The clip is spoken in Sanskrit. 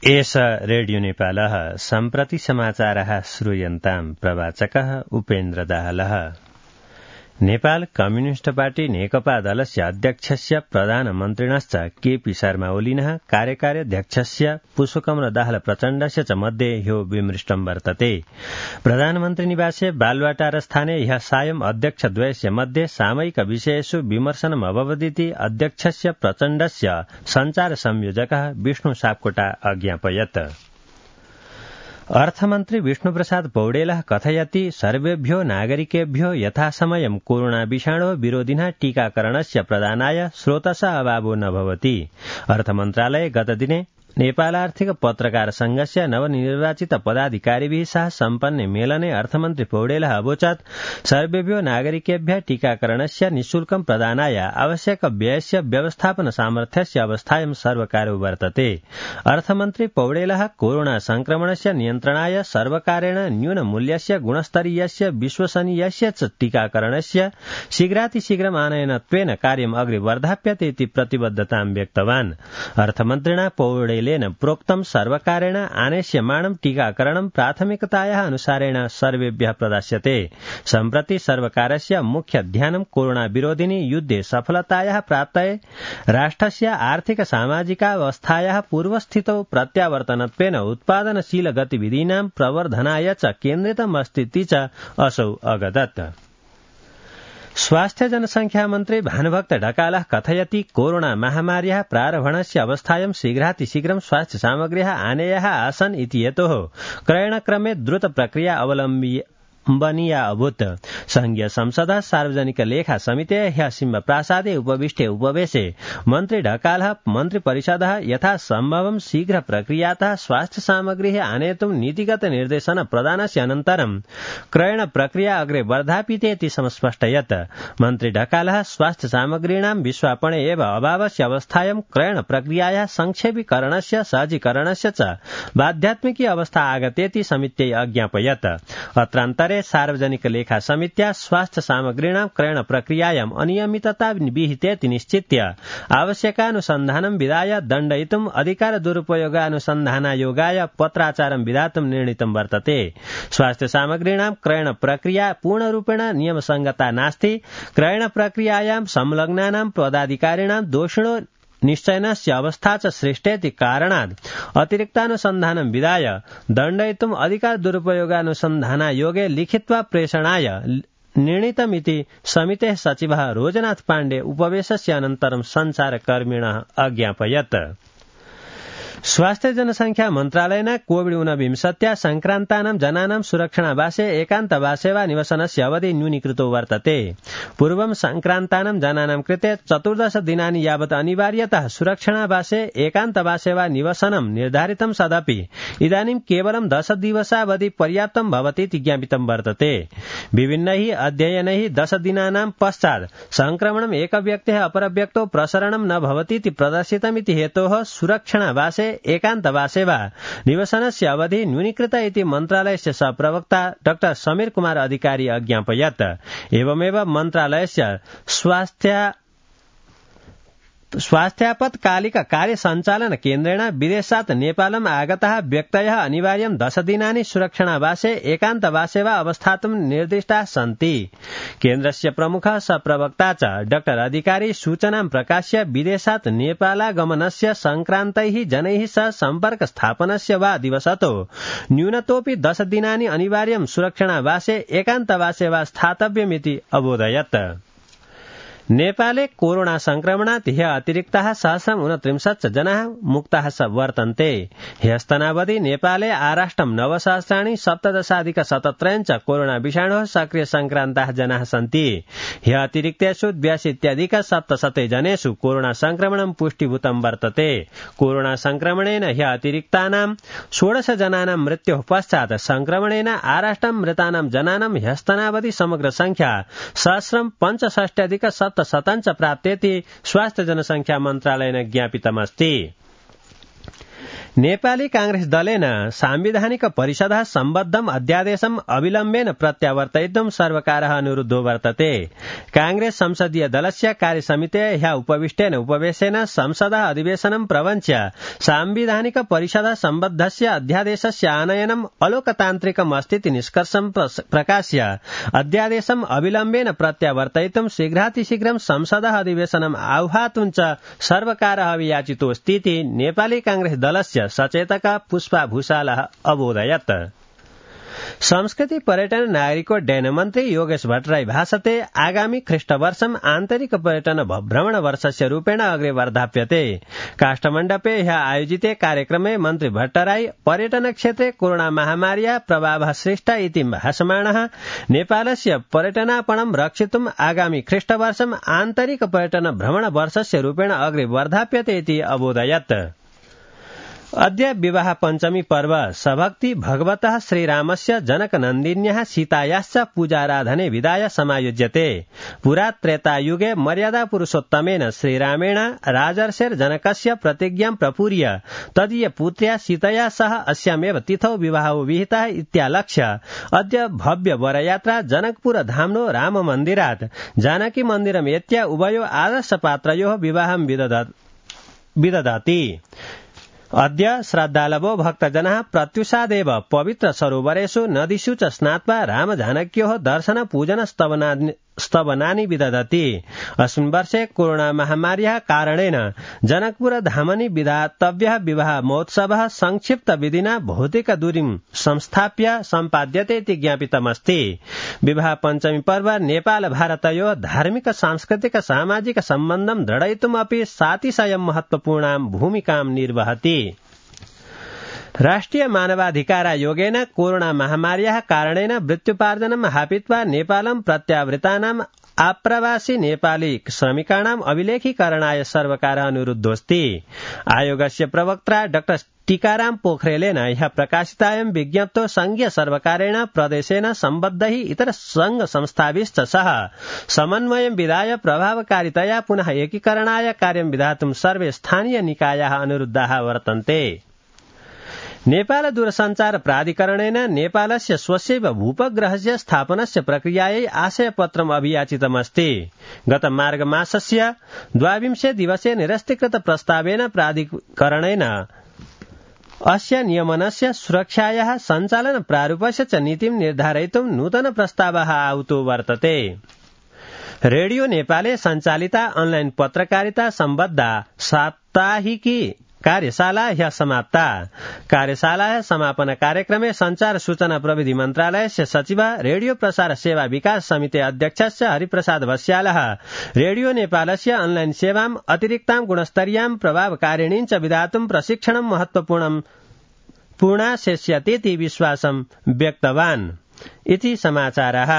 एष रेडियो नेपालः सम्प्रति समाचारः श्रूयन्ताम् प्रवाचकः उपेन्द्र दाहालः। नेपाल कम्युनिस्ट पार्टी नेकपा दलस्य अध्यक्षस्य प्रधानमन्त्रिणश्च केपी शर्मा ओलिनः कार्यकार्याध्यक्षस्य पुष्पकमल दाहाल प्रचण्डस्य च मध्ये ह्यो विमृष्टं वर्तते। प्रधानमन्त्री निवासे बालुवाटारस्थाने ह्यः सायं अध्यक्षद्वयस्य मध्ये सामयिक विषयेषु विमर्शनम् अभवदिति अध्यक्षस्य प्रचण्डस्य सञ्चार संयोजकः विष्णु सापकोटा अज्ञापयत्। अर्थमन्त्री विष्णुप्रसाद पौडेलः कथयति सर्वेभ्यो नागरिकेभ्यो यथासमयं कोरोना विषाणो विरोधिनः टीकाकरणस्य प्रदानाय स्रोतसः अभावो न भवति। अर्थमन्त्रालये गतदिने नेपालार्थिक पत्रकार संघस्य नवनिर्वाचित पदाधिकारिभिः सह सम्पन्ने मेलने अर्थमन्त्री पौडेलः अवोचत् सर्वेभ्यो नागरिकेभ्यः टीकाकरणस्य निःशुल्कं प्रदानाय आवश्यक व्ययस्य व्यवस्थापन सामर्थ्यस्य अवस्थायां सर्वकारो वर्तते। अर्थमन्त्री पौडेलः कोरोना संक्रमणस्य नियन्त्रणाय सर्वकारेण न्यूनमूल्यस्य गुणस्तरीयस्य विश्वसनीयस्य च टीकाकरणस्य शीघ्रातिशीघ्रम् आनयनत्वेन कार्यम् अग्रे वर्धाप्यते इति प्रतिबद्धतां व्यक्तवान्। अर्थमन्त्रिणा पौडेल प्रोक्तं सर्वकारेण आनेष्यमाणं टीकाकरणं प्राथमिकतायाः अनुसारेण सर्वेभ्यः प्रदास्यते। सम्प्रति सर्वकारस्य मुख्य ध्यानं कोरोना विरोधिनि युद्धे सफलतायाः प्राप्तये राष्ट्रस्य आर्थिक सामाजिकावस्थायाः पूर्वस्थितौ प्रत्यावर्तनत्वेन उत्पादनशील गतिविधीनां प्रवर्धनाय च केन्द्रितमस्तीति च असौ अगदत्। स्वास्थ्य जनसंख्या मन्त्री भानुभक्त ढकालः कथयति कोरोना महामार्याः प्रारम्भणस्य अवस्थायां शीघ्रातिशीघ्रं स्वास्थ्य सामग्र्यः आनेयाः आसन् इति हेतोः क्रयणक्रमे द्रुत प्रक्रिया अवलम्बनीया अभूत्। संघीय संसदः सार्वजनिक लेखा समितेः ह्यः सिंहप्रासादे उपविष्टे उपवेशे मन्त्री ढकालः मन्त्रिपरिषदः यथा सम्भवं शीघ्र प्रक्रियातः स्वास्थ्य सामग्रीः आनेतुं नीतिगत निर्देशन प्रदानस्य अनन्तरं क्रयण प्रक्रिया अग्रे वर्धापिते इति समस्पष्टयत्। मन्त्री ढकालः स्वास्थ्य सामग्रीणां विश्वापणे एव अभावस्य अवस्थायां क्रयण प्रक्रियायाः संक्षेपीकरणस्य सहजीकरणस्य च बाध्यात्मिकी अवस्था आगतेति समित्यै अज्ञापयत्। अत्रान्तरे सार्वजनिक लेखा समित्या स्वास्थ्य सामग्रीणां क्रयण प्रक्रियायां अनियमितता विहितेति निश्चित्य आवश्यकानुसन्धानं विधाय दण्डयितुम् अधिकार दुरुपयोगानुसन्धानायोगाय पत्राचारं विधातुं निर्णीतं वर्तते। स्वास्थ्य सामग्रीणां क्रयण प्रक्रिया पूर्णरूपेण नियमसंगता नास्ति। क्रयण प्रक्रियायां संलग्नानां पदाधिकारिणां दोषिणो निश्चयनस्य अवस्था च सृष्टेति कारणात् अतिरिक्तानुसन्धानं विधाय दण्डयितुम् अधिकार दुरुपयोगानुसन्धानायोगे लिखित्वा प्रेषणाय निर्णीतमिति समितेः सचिवः रोजनाथ पाण्डे उपवेशस्य अनन्तरं सञ्चारकर्मिणः अज्ञापयत्। स्वास्थ्य जनसंख्या मन्त्रालयेन कोविड-19 संक्रान्तानां जनानां सुरक्षणावासे एकान्तवासे वा निवसनस्य अवधि न्यूनीकृतो वर्तते। पूर्वं संक्रान्तानां जनानां कृते 14 दिनानि यावत् अनिवार्यतः सुरक्षणावासे एकान्तवासे वा निवसनं निर्धारितं सदपि इदानीं केवलं 10 दिवसावधि पर्याप्तं भवति इति ज्ञापितं वर्तते। विभिन्नैः अध्ययनैः 10 दिनानां पश्चात् संक्रमणम् एकव्यक्तेः अपरव्यक्तौ प्रसरणं न भवति इति प्रदर्शितमिति हेतोः सुरक्षणावासे एकान्तवासे वा निवसनस्य अवधि न्यूनीकृत इति मन्त्रालयस्य सहप्रवक्ता डॉ समीर कुमार अधिकारी अज्ञापयत्। एवमेव मन्त्रालयस्य स्वास्थ्यापत्कालिक कार्य सञ्चालन केन्द्रेण विदेशात् नेपालम् आगताः व्यक्तयः अनिवार्यं 10 दिनानि सुरक्षणावासे एकान्तवासे वा अवस्थातुं निर्दिष्टाः सन्ति। केन्द्रस्य प्रमुखः सहप्रवक्ता च डॉ अधिकारी सूचनां प्रकाश्य विदेशात् नेपालागमनस्य संक्रान्तैः जनैः सह सम्पर्क स्थापनस्य वा दिवसतो न्यूनतोऽपि 10 दिनानि अनिवार्यं सुरक्षणावासे एकान्तवासे वा स्थातव्यमिति अबोधयत्। नेपाले कोरोना संक्रमणात् ह्यः अतिरिक्ताः 129 जनाः मुक्ताः वर्तन्ते। ह्यस्तनावधि नेपाले आराष्ट्रं 9,017,17 च कोरोना विषाणोः सक्रिय संक्रान्ताः जनाः सन्ति। ह्यः अतिरिक्तेषु 82,700 जनेषु कोरोना संक्रमणं पुष्टिभूतं वर्तते। कोरोना संक्रमणेन ह्यः अतिरिक्तानां 16 जनानां मृत्योः पश्चात् संक्रमणेन आराष्ट्रं मृतानां जनानां ह्यस्तनावधि समग्र संख्या 1,65,700 च प्राप्तेति स्वास्थ्य जनसंख्या मन्त्रालयेन ज्ञापितमस्ति। नेपाली कांग्रेस दलेन सांविधानिक परिषदः सम्बद्धम् अध्यादेशम् अविलम्बेन प्रत्यावर्तयितुं सर्वकारः अनुरुद्धो वर्तते। कांग्रेस संसदीय दलस्य कार्यसमितेः ह्यः उपविष्टेन उपवेशेन संसदः अधिवेशनं प्रवञ्च्य सांविधानिक परिषदः सम्बद्धस्य अध्यादेशस्य आनयनम् अलोकतान्त्रिकम् अस्तीति निष्कर्षं प्रकाश्य अध्यादेशम् अविलम्बेन प्रत्यावर्तयितुं शीघ्रातिशीघ्रं संसदः अधिवेशनम् आह्वातुं च सर्वकारः अभियाचितोऽस्तीति नेपाली कांग्रेस दलस्य सचेतक पुष्पा भूषालः अबोधयत्। संस्कृति पर्यटन नागरिकोड्डयन मन्त्री योगेश भट्टराई भाषते आगामी ख्रीष्टवर्षम् आन्तरिक पर्यटन भ्रमण वर्षस्य रूपेण अग्रे वर्धाप्यते। काष्ठमण्डपे ह्यः आयोजिते कार्यक्रमे मन्त्री भट्टराई पर्यटन क्षेत्रे कोरोना महामार्याः प्रभावः सृष्टः इति भाषमाणः नेपालस्य पर्यटनापणं रक्षितुम् आगामी ख्रीष्टवर्षम् आन्तरिक पर्यटन भ्रमण वर्षस्य रूपेण अग्रे वर्धाप्यते इति अबोधयत्। अद्य विवाह पञ्चमी पर्व सभक्ति भगवतः श्रीरामस्य जनकनन्दिन्याः सीतायाश्च पूजाराधने विधाय समायोज्यते। पुरा त्रेतायुगे मर्यादा पुरुषोत्तमेन श्रीरामेण राजर्षेर्जनकस्य प्रतिज्ञां प्रपूर्य तदीय पुत्र्या सीतया सह अस्यामेव तिथौ विवाहो विहितः इत्यालक्ष्य अद्य भव्य वरयात्रा जनकपुर धाम्नो राम मन्दिरात् जानकी मन्दिरमेत्य उभयो आदर्शपात्रयोः विवाहं विदधति। अद्य श्रद्धालवो भक्तजनाः प्रत्युषादेव पवित्र सरोवरेषु नदीषु च स्नात्वा रामजानक्योः दर्शन पूजन स्तवनानि विदधति। अस्मिन् वर्षे कोरोना महामार्याः कारणेन जनकपुर धामनि विधातव्यः विवाह महोत्सवः संक्षिप्त विधिना भौतिक दूरीं संस्थाप्य सम्पाद्यते इति ज्ञापितमस्ति। विवाह पञ्चमी पर्व नेपाल भारतयोः धार्मिक सांस्कृतिक सामाजिक सम्बन्धं दृढयितुम् अपि सातिशयं महत्वपूर्णां भूमिकां निर्वहति। राष्ट्रिय मानवाधिकार आयोगेन कोरोना महामार्याः कारणेन मृत्युपार्जनं हापित्वा नेपालं प्रत्यावृतानाम् आप्रवासी नेपाली श्रमिकाणाम् अभिलेखीकरणाय सर्वकारः अनुरुद्धोऽस्ति। आयोगस्य प्रवक्ता डॉ टीकाराम पोखरेलेन ह्यः प्रकाशितायां विज्ञप्तौ संघीय सर्वकारेण प्रदेशेन सम्बद्धैः इतर संघ संस्थाभिश्च सह समन्वयं विधाय प्रभावकारितया पुनः एकीकरणाय कार्यं विधातुं सर्वे स्थानीय निकायाः अनुरुद्धाः वर्तन्ते। नेपाल दूरसञ्चार प्राधिकरणेन नेपालस्य स्वस्यैव भूपग्रहस्य स्थापनस्य प्रक्रियायै आशयपत्रम् अभियाचितमस्ति। गत मार्गमासस्य 22 दिवसे निरस्तीकृत प्रस्तावेन प्राधिकरणेन अस्य नियमनस्य सुरक्षायाः सञ्चालन प्रारूपस्य च नीतिं निर्धारयितुं नूतन प्रस्तावः आहुतो वर्तते। रेडियो नेपाले सञ्चालिता ऑनलाइन पत्रकारिता सम्बद्धा साप्ताहिकी कार्यशाला ह्यः समाप्ता। कार्यशालायाः समापन कार्यक्रमे संचार सूचना प्रविधि मन्त्रालयस्य सचिवः रेडियो प्रसार सेवा विकास समिति अध्यक्षश्च हरिप्रसाद बस्यालः रेडियो नेपालस्य ऑनलाइन सेवाम् अतिरिक्तां गुणस्तरीयां प्रभावकारिणीं च विधातुं प्रशिक्षणं महत्वपूर्णाशेष्यतीति विश्वासं व्यक्तवान्। इति समाचारः।